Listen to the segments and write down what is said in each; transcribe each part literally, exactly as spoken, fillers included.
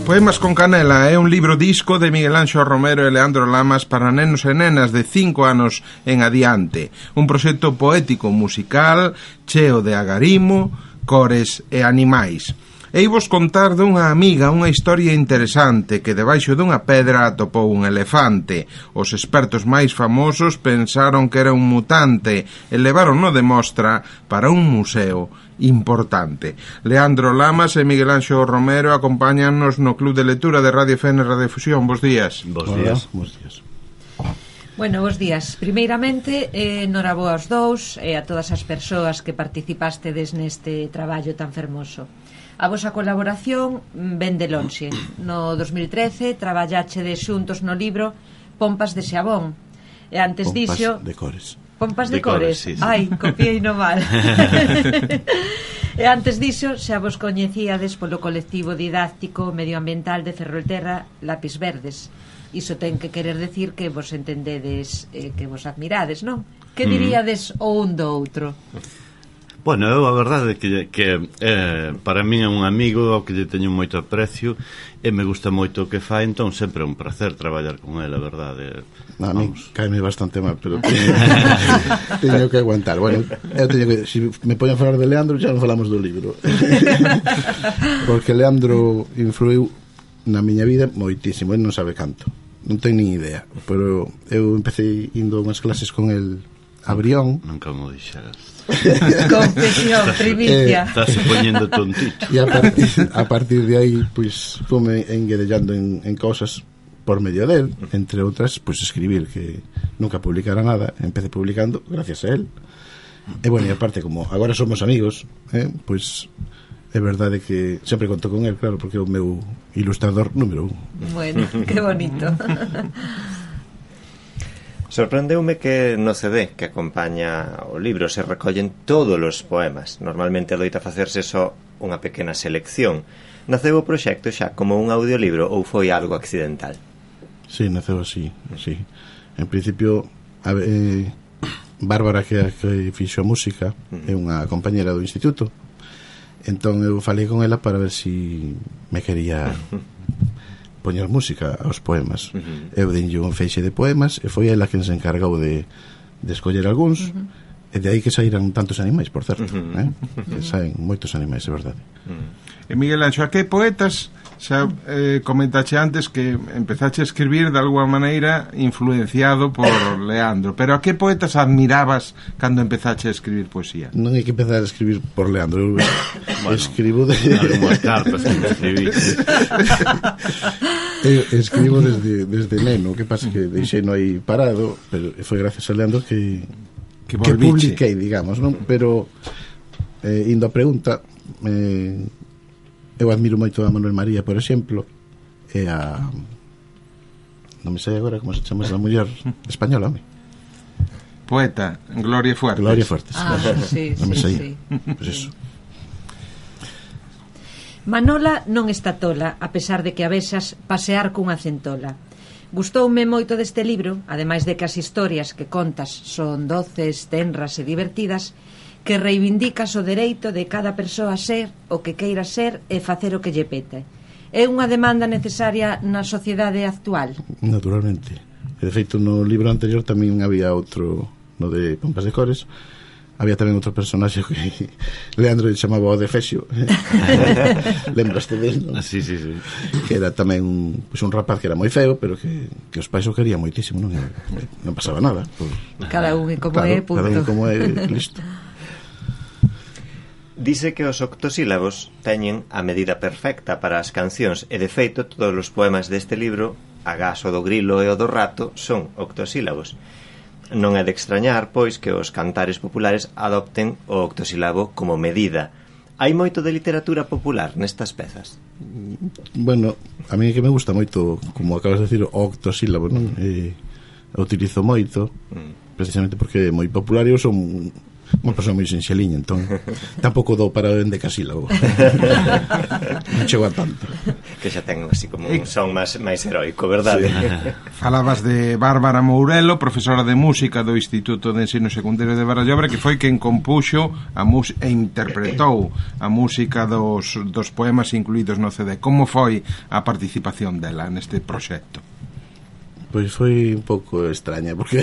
Poemas con Canela é un libro disco de Miguel Anxo Romero e Leandro Lamas para nenos e nenas de cinco anos en adiante. Un proxecto poético musical cheo de agarimo, cores e animais. Ei vos contar dunha amiga unha historia interesante que debaixo dunha pedra atopou un elefante. Os expertos máis famosos pensaron que era un mutante e levaron-no de mostra para un museo importante. Leandro Lamas e Miguel Anxo Romero acompáñannos no Club de Lectura de Radio F N Radiofusión. Bos días. Bos días. Bos días. Bueno, bos días. Primeiramente, eh, noraboa aos dous e a todas as persoas que participastes neste traballo tan fermoso. A vosa colaboración ven de lonxe. No dos mil trece traballachedes xuntos no libro Pompas de Xabón. E antes Pompas dixo... de cores. Pompas de, de cores, cores sí, sí. Ai, copiei no mal. E antes dixo xa vos coñecíades polo colectivo didáctico medioambiental de Ferrolterra Lápis Verdes. Iso ten que querer decir que vos entendedes, eh, que vos admirades, non? Que diríades mm. o un do outro? Bueno, eu a verdade é que, que eh, para mí é un amigo ao que lle teño moito aprecio e me gusta moito o que fai, entón sempre é un placer traballar con ele, a verdade. No, a mí caeme bastante mal, pero teño, teño que aguantar. Bueno, eu teño que, se si me poñen a falar de Leandro, xa non falamos do libro. Porque Leandro influiu na miña vida moitísimo, ele non sabe canto, non ten nin idea, pero eu empecé indo a unhas clases con el a Brión. Nunca mo dixeras. Confesión, primicia. Eh, Estás poñendo tontito. E a partir, a partir de aí, pois, pues, fome enguedellando en, en cosas por medio del, entre outras, pois, pues, escribir, que nunca publicara nada, empecé publicando gracias a él. E bueno, e aparte, como agora somos amigos, eh, pois, pues, é verdade que sempre conto con él, claro, porque é o meu ilustrador número un. Bueno, que bonito. Sorprendeume que no C D que acompaña o libro se recollen todos os poemas. Normalmente adoita facerse só unha pequena selección. Naceu o proxecto xa como un audiolibro ou foi algo accidental? Sí, naceu así, sí. En principio, a, eh, Bárbara, que, que fixo a música, é unha compañera do instituto. Entón eu falei con ela para ver si me quería poñer música aos poemas. Uh-huh. Eu dinlle un feixe de poemas e foi ela quen se encargou de, de escoller algúns, uh-huh. e de aí que saíran tantos animais, por certo, uh-huh. eh? Uh-huh. Que saen moitos animais, é verdade. Uh-huh. E Miguel Anxo, a que poetas xa eh, comentache antes que empezache a escribir de alguma maneira influenciado por Leandro, pero a que poetas admirabas cando empezache a escribir poesía? Non hai que empezar a escribir por Leandro. Eu bueno, escribo de... algunhas cartas que escribí. Eu escribo desde, desde neno. O que pasa que deixei no aí parado, pero foi gracias a Leandro que que, que publiquei, digamos, non? Pero eh, indo a pregunta, eh, eu admiro moito a Manuel María, por exemplo, e a... non me sei agora como se chama esa muller española, home. Poeta, Gloria Fuertes. Gloria Fuertes. Ah, claro. sí, non me sí, sei. sí. Pois eso. Manola non está tola, a pesar de que a vexas pasear cunha centola. Gustoume moito deste libro, ademais de que as historias que contas son doces, tenras e divertidas, que reivindicas o dereito de cada persoa a ser o que queira ser e facer o que lle pete. É unha demanda necesaria na sociedade actual? Naturalmente. E de feito, no libro anterior tamén había outro, no de Pompas de Cores, había tamén outro personaxe que Leandro lle chamaba o de Fexio. Lembraste del, non? Sí, sí, sí. Que era tamén un, pues, un rapaz que era moi feo, pero que, que os pais o querían moitísimo, non, non pasaba nada. Pues, cada un é como claro, é, punto. Cada un como é, listo. Dice que os octosílabos teñen a medida perfecta para as cancións e, de feito, todos os poemas deste libro, agás o do grilo e o do rato, son octosílabos. Non é de extrañar, pois, que os cantares populares adopten o octosílabo como medida. Hai moito de literatura popular nestas pezas? Bueno, a mí que me gusta moito, como acabas de decir, o octosílabo, non? E, o utilizo moito, mm. precisamente porque é moi popular e eu son... unha persoa moi sinxeliña, entón tampouco dou para o endecasílabo. Non chego a tanto. Que xa ten así como un son máis, máis heroico, verdade? Sí. Falabas de Bárbara Mourelo, profesora de música do Instituto de Ensino Secundario de Barallobre, que foi quen compuxo a e interpretou a música dos, dos poemas incluídos no C D. Como foi a participación dela neste proxecto? Pois foi un pouco extraña, porque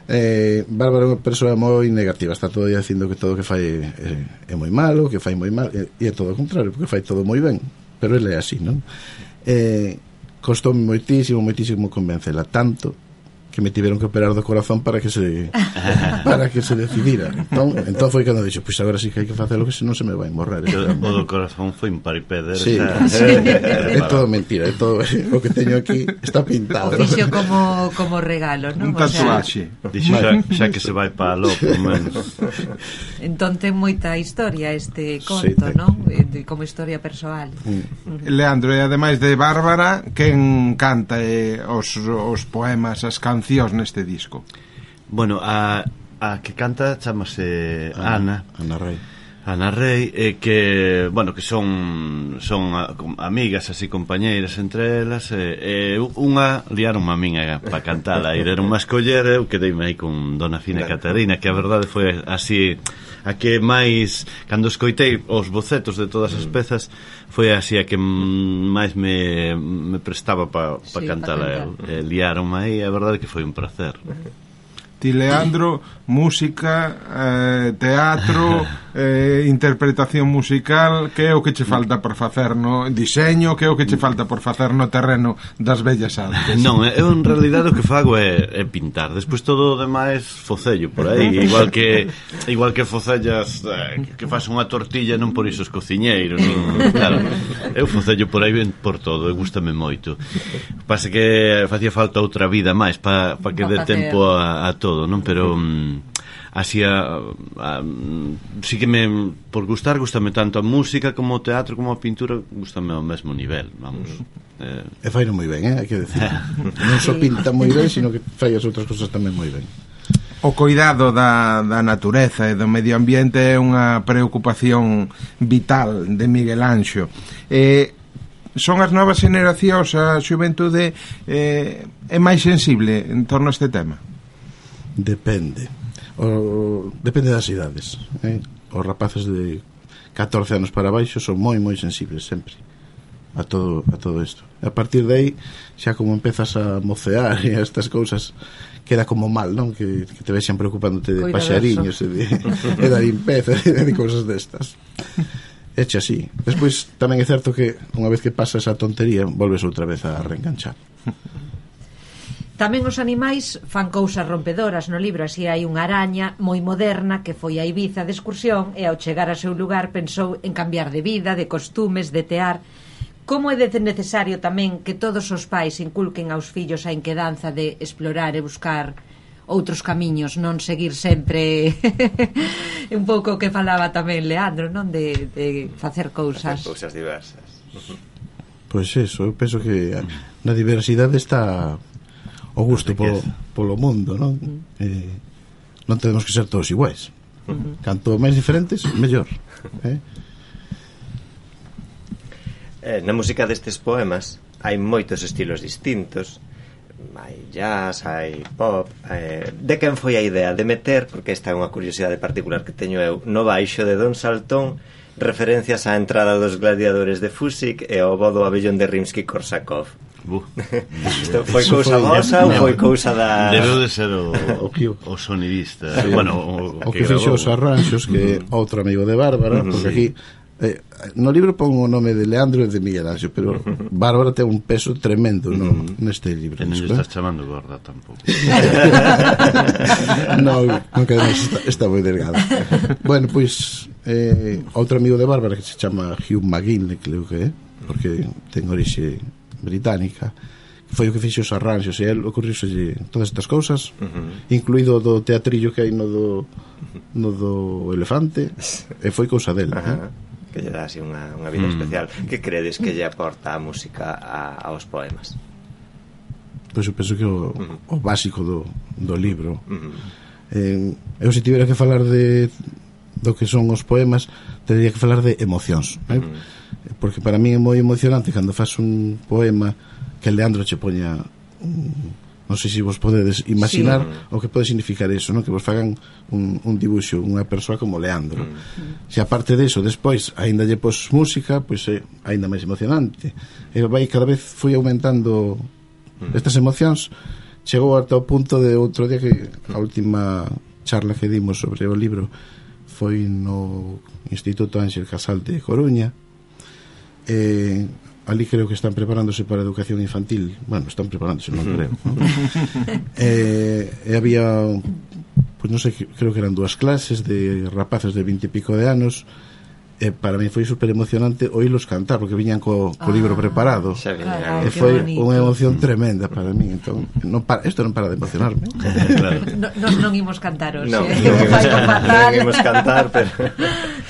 eh, Bárbara é unha persoa moi negativa, está todo aí dicindo que todo o que fai é, é moi malo, que fai moi mal, e, e é todo o contrario, porque fai todo moi ben, pero ele é así, non? Eh, costoume moitísimo, moitísimo convencela, tanto que me tiveron que operar do corazón para que se para que se decidira. Entón, entón foi cando dixo, pois agora sí que hai que facelo, que senón se me vai morrer. O do corazón foi un paripéder. Sí, sí. É todo mentira, é todo o que teño aquí está pintado. O fixo como, como regalo, non? Un tatuaxe. O sea, dixo xa, xa que se vai para lo, por menos. Entón ten moita historia este conto, sí, non? Como historia persoal. Mm. Leandro, e ademais de Bárbara, quen canta eh, os, os poemas, as cancións neste disco? Bueno, a, a que canta chamase Ana Ana Rei Ana Rei, eh, que, bueno, que son son a, amigas, así, compañeiras entre elas, e eh, eh, unha liaron a min para cantala, e deron má escoller, eu quedeime aí con Dona Fina Catarina, que a verdade foi así, a que máis, cando escoitei os bocetos de todas as pezas, foi así a que máis me, me prestaba para pa sí, cantala. pa eh, liaron aí, a verdade que foi un placer. Ti, Leandro, música, eh, teatro, eh, interpretación musical, que é o que che falta por facer no diseño, que é o que che falta por facer no terreno das bellas artes? Non, eu en realidade o que fago é, é pintar. Despois todo o demais focello por aí, igual que igual que focellas eh, que faz unha tortilla, non por iso os cociñeiros, nin, claro. Eu focello por aí ben por todo, e gústame moito. Pasa que facía falta outra vida máis para pa que dé tempo a, a todo, non? Pero mm, así a, a, sí que me, por gustar, gustame tanto a música como o teatro como a pintura, gustame ao mesmo nivel, vamos. Eh... E faino moi ben, eh, hai que decir. Non só pinta moi ben, sino que fai as outras cosas tamén moi ben. O coidado da, da natureza e do medio ambiente é unha preocupación vital de Miguel Anxo. Eh, son as novas generacións, a xuventude eh, é máis sensible en torno a este tema? Depende. O, depende das idades, eh? Os rapaces de catorce anos para baixo son moi moi sensibles sempre a todo a todo isto. A partir de aí xa como empezas a mocear e a estas cousas queda como mal, non? Que, que te vexan preocupándote de paxariños e de, e da limpeza e de cousas destas. Eche así. Despois tamén é certo que unha vez que pasa esa tontería volves outra vez a reenganchar. Tamén os animais fan cousas rompedoras no libro. Así hai unha araña moi moderna que foi a Ibiza de excursión e ao chegar ao seu lugar pensou en cambiar de vida, de costumes, de tear. Como é de necesario tamén que todos os pais inculquen aos fillos a inquedanza de explorar e buscar outros camiños, non seguir sempre un pouco o que falaba tamén Leandro, non? De, de facer cousas. Facer cousas diversas. Pois eso, eu penso que na diversidade está o gusto polo, polo mundo, non? Mm. Eh, non temos que ser todos iguais. Mm-hmm. Canto máis diferentes, mellor. Eh? Eh, na música destes poemas hai moitos estilos distintos. Hai jazz, hai pop. Eh, de quen foi a idea de meter, porque esta é unha curiosidade particular que teño eu, no baixo de Don Saltón referencias á entrada dos gladiadores de Fusik e ao vodo abellón de Rimsky-Korsakov? Uh. Isto foi cousa vosa ou foi cousa da... Debeu de ser o, o, o sonidista, sí. Bueno, o, o que, que fixo os arranxos, que é uh-huh. outro amigo de Bárbara, uh-huh. porque aquí eh, no libro pon o nome de Leandro e de Miguel Anxo, pero uh-huh. Bárbara ten un peso tremendo no, uh-huh. neste libro. E non estás chamando gorda tampouco. Non, non que está, está moi delgada. Bueno, pois eh, outro amigo de Bárbara que se chama Hugh McGinley, creo que é, porque ten orixe británica, foi o que fixo os arranxos e el ocurriuselle todas estas cousas, uh-huh. incluído do teatrillo que hai no do no do elefante, e foi cousa del, uh-huh. eh? Que lle dá así unha, unha vida mm. especial. Que credes que lle aporta a música a, aos poemas? Pois eu penso que o, uh-huh. o básico do, do libro, uh-huh. eh, eu se tivera que falar de do que son os poemas, teria que falar de emocións, eh? mm. porque para mí é moi emocionante cando faz un poema que Leandro che poña un, non sei se vos podedes imaginar sí. o que pode significar eso, non? Que vos fagan un, un dibuixo, unha persoa como Leandro. Mm. Se aparte de eso, despois, aínda lle pos música, pois é aínda máis emocionante. E vai cada vez foi aumentando mm. estas emocións. Chegou ata o punto de outro día que a última charla que dimos sobre o libro foi no Instituto Ángel Casal de Coruña. E ali creo que están preparándose para a educación infantil. Bueno, están preparándose, non creo, ¿no? e, e había pois non sei, creo que eran dúas clases de rapazos de vinte e pico de anos. E para mí foi super emocionante oílos cantar, porque viñan co, co ah, libro preparado. Carai, e foi unha emoción tremenda para mí. Entón, non para, isto non para de emocionarme. Claro. No, nos non imos cantar hoxe. No, non imos cantar, pero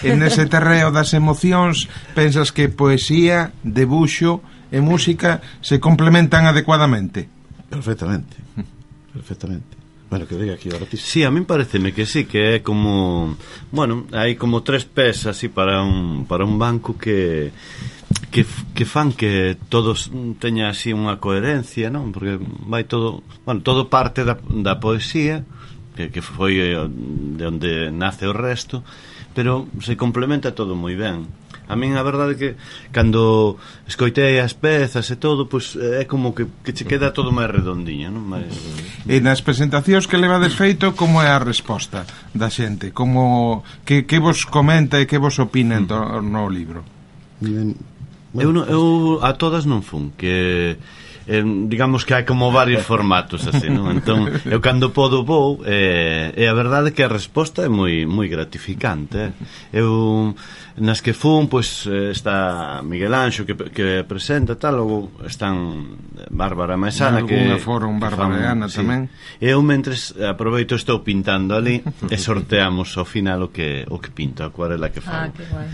en ese terreo das emocións pensas que poesía, debuxo e música se complementan adecuadamente? Perfectamente. Perfectamente. Bueno, que diga aquí o artista. Sí, a min pareceme que sí, que é como, bueno, hai como tres pés así para un para un banco que que que fan que todos teña así unha coherencia, non? Porque vai todo, bueno, todo parte da da poesía, que que foi de onde nace o resto, pero se complementa todo moi ben. A min a verdade é que cando escoitei as pezas e todo, pois é como que, que che queda todo máis redondiño, non? Máis... E nas presentacións que levades feito, como é a resposta da xente? Como que, que vos comenta e que vos opina en torno ao libro? Bueno, eu, non, eu a todas non fun, que eh, digamos que hai como varios formatos así, non? Entón, eu cando podo vou eh, e a verdade é que a resposta é moi moi gratificante, eh? Eu nas que fun, pois está Miguel Anxo que, que presenta tal, logo están Bárbara Maesana que foron Bárbara e Ana sí. tamén. Eu mentres aproveito estou pintando ali e sorteamos ao final o que o que pinto, a acuarela que fago. Ah, que guai.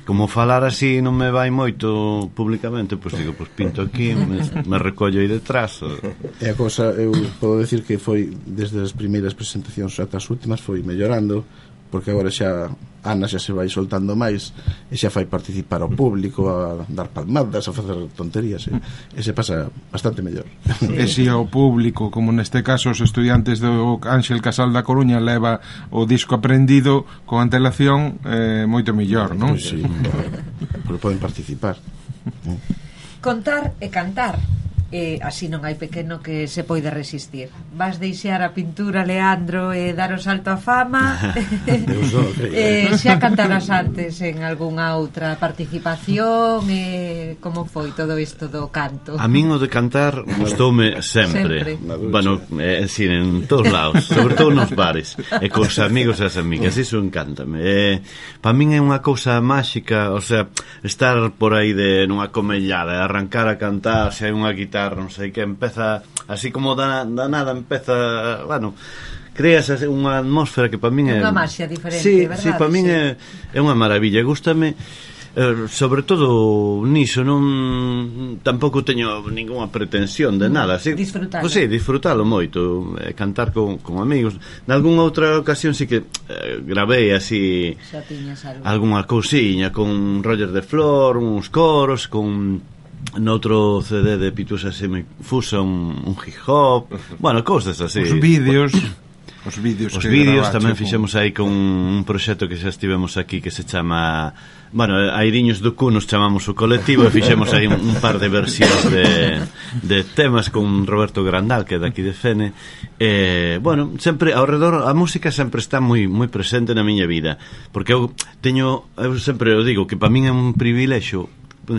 Como falar así non me vai moito públicamente, pois digo, pois pinto aquí, me, me recollo aí detrás. E a cosa, eu podo decir que foi desde as primeiras presentacións ata as últimas foi mellorando, porque agora xa Ana xa se vai soltando máis e xa fai participar ao público, a dar palmadas, a facer tonterías, e, e se pasa bastante mellor. E se ao público, como neste caso os estudiantes do Ángel Casal da Coruña, leva o disco aprendido con antelación, eh, moito mellor, non? Pois sí, pero poden participar. Contar e cantar, e así non hai pequeno que se poida resistir. Vas deixar a pintura, Leandro, e dar o salto á fama? E xa cantarás antes en algunha outra participación? E como foi todo isto do canto? A min o de cantar gustoume sempre, sempre. Bueno, é dicir, en todos lados, sobre todo nos bares e cos amigos e as amigas, iso encántame. E, para min é unha cousa máxica, o sea, estar por aí de nunha comellada e arrancar a cantar, se hai unha guitarra, non sei que, empeza así como da, da nada, empeza, bueno, creas unha atmósfera que para min é unha maxia diferente, sí, verdade? Sí, para min sí. é, é unha maravilla, gústame eh, sobre todo niso, non tampouco teño ningunha pretensión de nada, así, disfrutalo. Pues, sí, disfrutalo moito, eh, cantar con, con amigos. Nalgúnha outra ocasión sí que eh, gravei así algunha cousiña con Roger de Flor, uns coros, con noutro C D de Pitusa Semifusa un, un hip hop, bueno, cousas así. Os vídeos, os vídeos, os vídeos tamén fixemos aí con un proxecto que xa estivemos aquí que se chama, bueno, Airiños do Cu nos chamamos o colectivo e fixemos aí un, un par de versións de, de temas con Roberto Grandal, que é daqui de Fene. E, bueno, sempre ao redor a música sempre está moi moi presente na miña vida, porque eu teño, eu sempre o digo que para min é un privilexio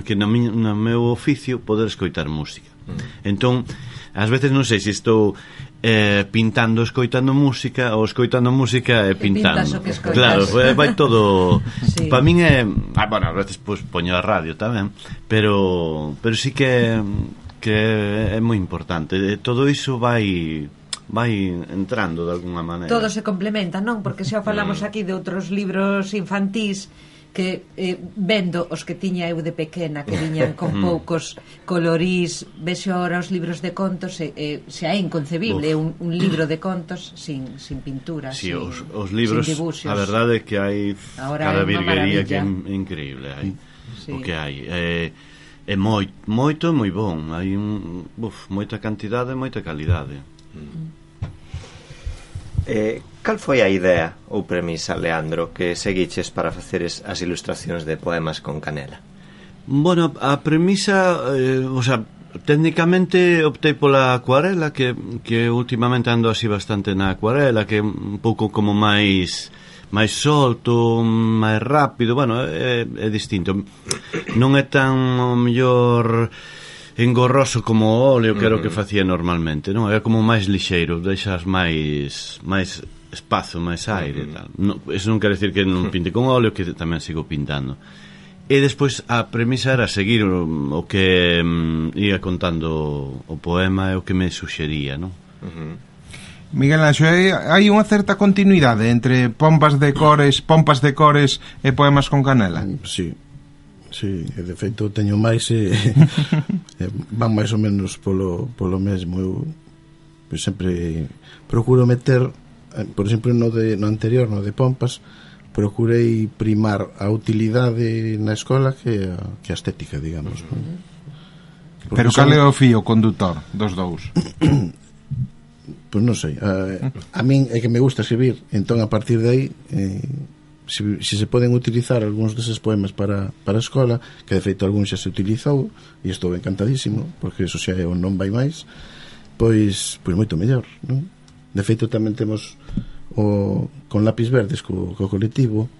que no meu oficio poder escoitar música. Mm. Entón, ás veces non sei se estou eh, pintando, escoitando música ou escoitando música e pintando. Claro, vai todo. Sí. Para min é, ah, bueno, ás veces pois poño a radio tamén, pero pero sí que que é moi importante. Todo iso vai vai entrando de alguna maneira. Todo se complementa, non? Porque xa falamos aquí de outros libros infantís que eh, vendo os que tiña eu de pequena, que viñan con poucos colorís, vexo ahora os libros de contos e eh, xa é inconcebible un, un libro de contos sin, sin pintura, sí, sin, os, os libros, sin dibuxos. A verdade é que hai ahora cada é virguería que é increíble, hai, sí. O que hai é, é moi, moito e moi bon, hai un, uf, moita cantidade e moita calidade. Mm. Eh, cal foi a idea ou premisa, Leandro, que seguiches para facer as ilustracións de poemas con canela? Bueno, a premisa, eh, o sea, técnicamente optei pola acuarela, que, que últimamente ando así bastante na acuarela, que é un pouco como máis máis solto, máis rápido, bueno, é, é distinto. Non é tan, o mellor, engorroso como o óleo, que era o que facía normalmente, non? É como máis lixeiro, deixas máis máis espazo, máis aire, uh-huh. tal. No, eso non quere decir que non pinte con óleo, que tamén sigo pintando. E despois a premisa era seguir o, o que um, ia contando o poema e o que me suxería, non? Uh-huh. Miguel Anxo, hai unha certa continuidade entre pompas de cores, pompas de cores e poemas con canela? Sí. Sí, e de feito teño máis e, e van máis ou menos polo, polo mesmo. Eu pues, sempre procuro meter, por exemplo, no, de, no anterior, no de pompas, procurei primar a utilidade na escola que a, que a estética, digamos. Uh-huh. Pero cal é o fío condutor dos dous? Pois pues non sei, a, a min é que me gusta escribir, entón a partir de aí eh, si, si se poden utilizar algúns deses poemas para, para a escola, que de feito algún xa se utilizou e estou encantadísimo, porque eso xa é o non vai máis, pois, pois moito mellor, non? De feito tamén temos o, con lápis verdes co, co colectivo,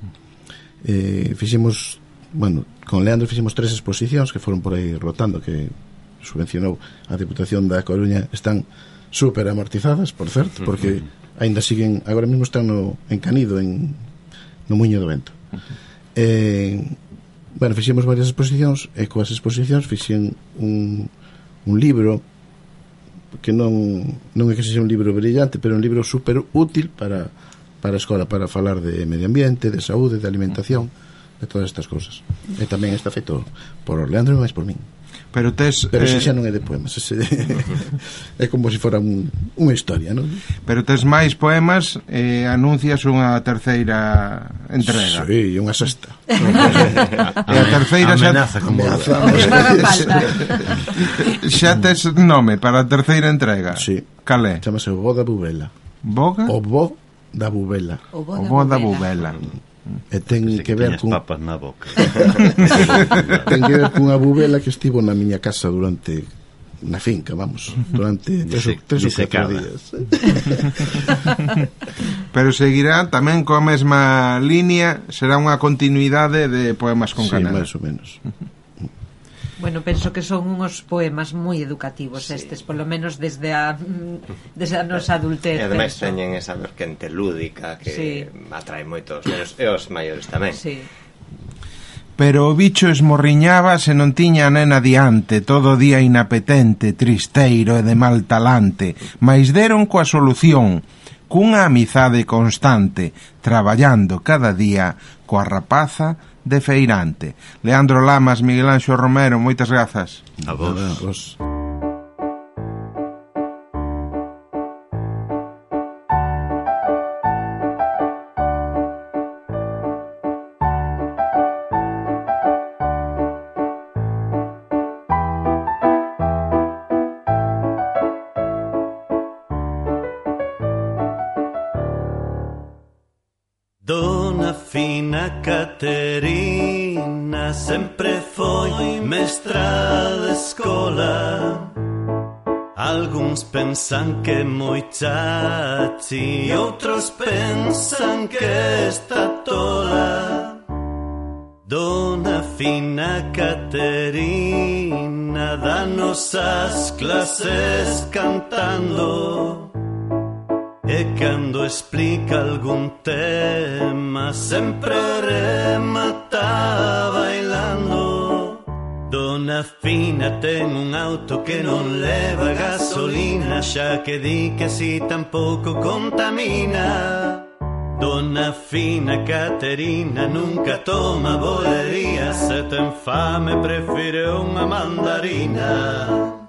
eh, fixemos, bueno, con Leandro fixemos tres exposicións que foron por aí rotando, que subvencionou a Deputación da Coruña, están super amortizadas, por certo, porque aínda siguen, agora mesmo están no, en Canido, en, no Muiño do Vento. Eh, bueno, fixemos varias exposicións e coas exposicións fixen un, un libro que non non é que sexa un libro brillante, pero un libro super útil para, para a escola, para falar de medio ambiente, de saúde, de alimentación, de todas estas cousas. E tamén está feito por Leandro e máis por min. Pero tes Pero eh... ese xa non é de poemas, ese é como se fora un, unha historia, non? Pero tes máis poemas e anuncias unha terceira entrega. Sí, unha sexta. E a terceira xa amenaza como amenaza, O que faga falta. xa tes nome para a terceira entrega. Sí. Cal é? Chámase o Bo da Bubela. Boga? O Bo da Bubela. O O bo da bubela. E ten que, que que ver con papas na boca. ten que ver cunha bubela que estivo na miña casa durante na finca, vamos, durante tres, Dise, tres ou catro disecada. días. Pero seguirá tamén coa mesma línea, será unha continuidade de poemas con Sí, canela. máis ou menos. Bueno, penso que son uns poemas moi educativos, sí. Estes, polo menos desde a desde a nosa adultez. E ademais penso. teñen esa vertente lúdica que Sí. atrae moitos nenos e os maiores tamén. Sí. Pero o bicho esmorriñaba se non tiña a nena diante, todo o día inapetente, tristeiro e de mal talante, mais deron coa solución, cunha amizade constante, traballando cada día coa rapaza de feirante. Leandro Lamas, Miguel Anxo Romero, moitas grazas. A vos. Nada, vos. Dona Fina Caterina sempre foi mestra de escola. Alguns pensan que moi chachi, outros pensan que está tola. Dona Fina Caterina danos as clases cantando. E cando explica algún tema sempre remata bailando. Dona Fina ten un auto que non leva gasolina, xa que di que así tampouco contamina. Dona Fina Caterina nunca toma bolería, se ten fame prefire unha mandarina.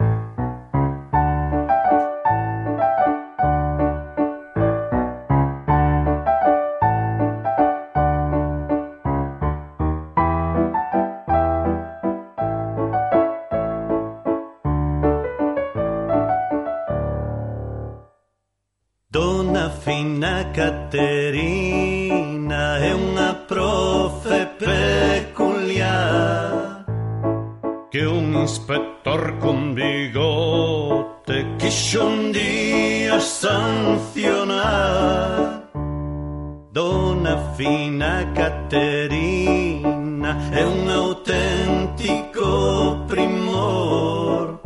Dona Fina Caterina é unha profe peculiar, que un inspector con bigote quixo un día sancionar. Dona Fina Caterina é un auténtico primor,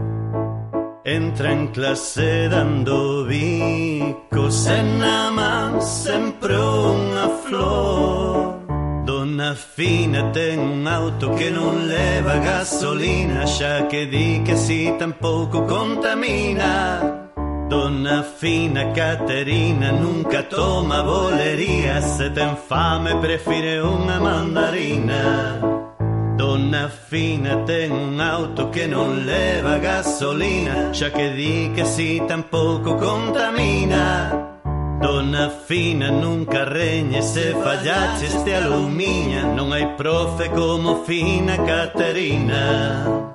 entra en clase dando bicos e na man sempre unha flor. Dona Fina ten un auto que non leva gasolina, xa que di que si tampouco contamina. Dona Fina Caterina nunca toma bolería, se ten fame prefire unha mandarina. Dona Fina ten un auto que non leva gasolina, xa que di que si tampouco contamina. Dona Fina nunca reñe, se fallaches te alumiña, non hai profe como Fina Caterina.